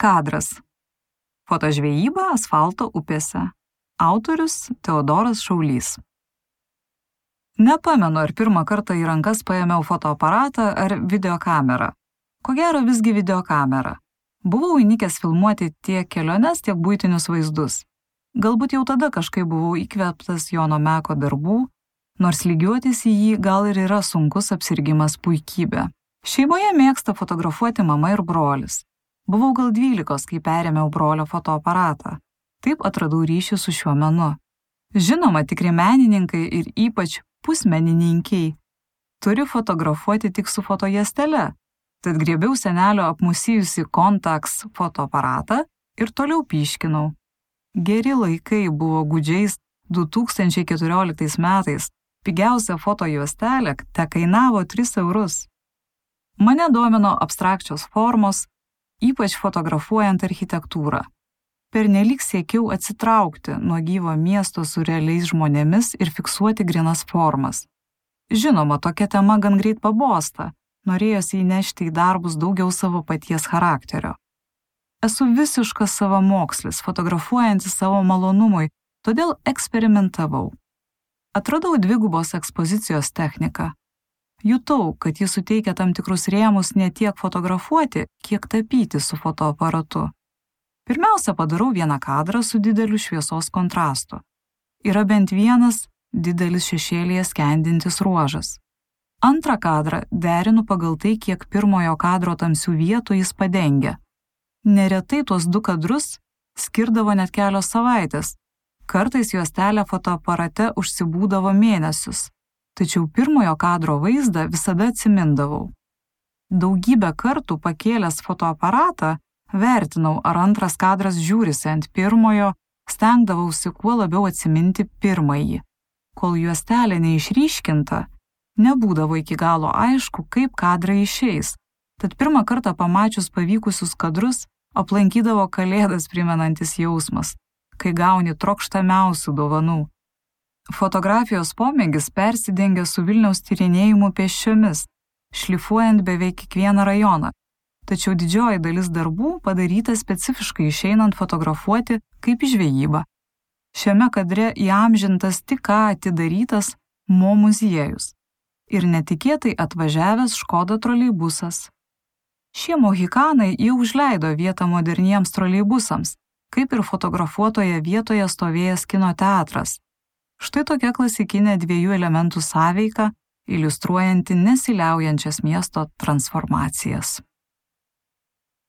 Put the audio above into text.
Kadras. Fotožvejyba asfalto upėse. Autorius Teodoras Šaulys. Nepamenu, ar pirmą kartą į rankas paėmiau fotoaparatą ar videokamerą. Ko gero visgi videokamerą. Buvau įnikęs filmuoti tiek keliones, tiek buitinius vaizdus. Galbūt jau tada kažkaip buvau įkvėptas Jono Meko darbų, nors lygiuotis į jį gal ir yra sunkus apsirgimas puikybė. Šeimoje mėgsta fotografuoti mama ir brolis. Buvau gal 12, kai perėmiau brolio fotoaparatą. Taip atradau ryšį su šiuo menu. Žinoma, tikri menininkai ir ypač pusmenininkiai turi fotografuoti tik su fotojuostele. Tad griebiau senelio apmusijusi Contax fotoaparatą ir toliau pyškinau. Geri laikai buvo gūdžiais 2014 metais. Pigiausia fotojuostelė tekainavo 3 eurus. Mane domino abstrakčios formos, ypač fotografuojant architektūrą. Pernelyg siekiau atsitraukti nuo gyvo miesto su realiais žmonėmis ir fiksuoti grynas formas. Žinoma, tokia tema gan greit pabosta, norėjosi įnešti į darbus daugiau savo paties charakterio. Esu visiškas savamokslis, fotografuojantis savo malonumui, todėl eksperimentavau. Atradau dvigubos ekspozicijos techniką. Jutau, kad jis suteikia tam tikrus rėmus ne tiek fotografuoti, kiek tapyti su fotoaparatu. Pirmiausia, padarau vieną kadrą su dideliu šviesos kontrastu. Yra bent vienas didelis šešėlyje skendintis ruožas. Antrą kadrą derinu pagal tai, kiek pirmojo kadro tamsių vietų jis padengia. Neretai tuos 2 kadrus skirdavo net kelios savaitės. Kartais juostelė fotoaparate užsibūdavo mėnesius. Tačiau pirmojo kadro vaizdą visada atsimindavau. Daugybę kartų pakėlęs fotoaparatą vertinau, ar antras kadras žiūrisi ant pirmojo, stengdavausi kuo labiau atsiminti pirmąjį. Kol juostelė neišryškinta, nebūdavo iki galo aišku, kaip kadrai išeis. Tad pirmą kartą pamačius pavykusius kadrus, aplankydavo kalėdas primenantis jausmas, kai gauni trokštamiausių dovanų. Fotografijos pomėgis persidengia su Vilniaus tyrinėjimu pėsčiomis, šlifuojant beveik kiekvieną rajoną. Tačiau didžioji dalis darbų padaryta specifiškai išeinant fotografuoti kaip žvejyba. Šiame kadre įamžintas tik ką atidarytas Mo muziejus ir netikėtai atvažiavęs Škoda troleibusas. Šie mohikanai jau užleido vietą moderniems troleibusams, kaip ir fotografuotoje vietoje stovėjęs kino teatras. Štai tokia klasikinė 2 elementų sąveika, iliustruojanti nesiliaujančias miesto transformacijas.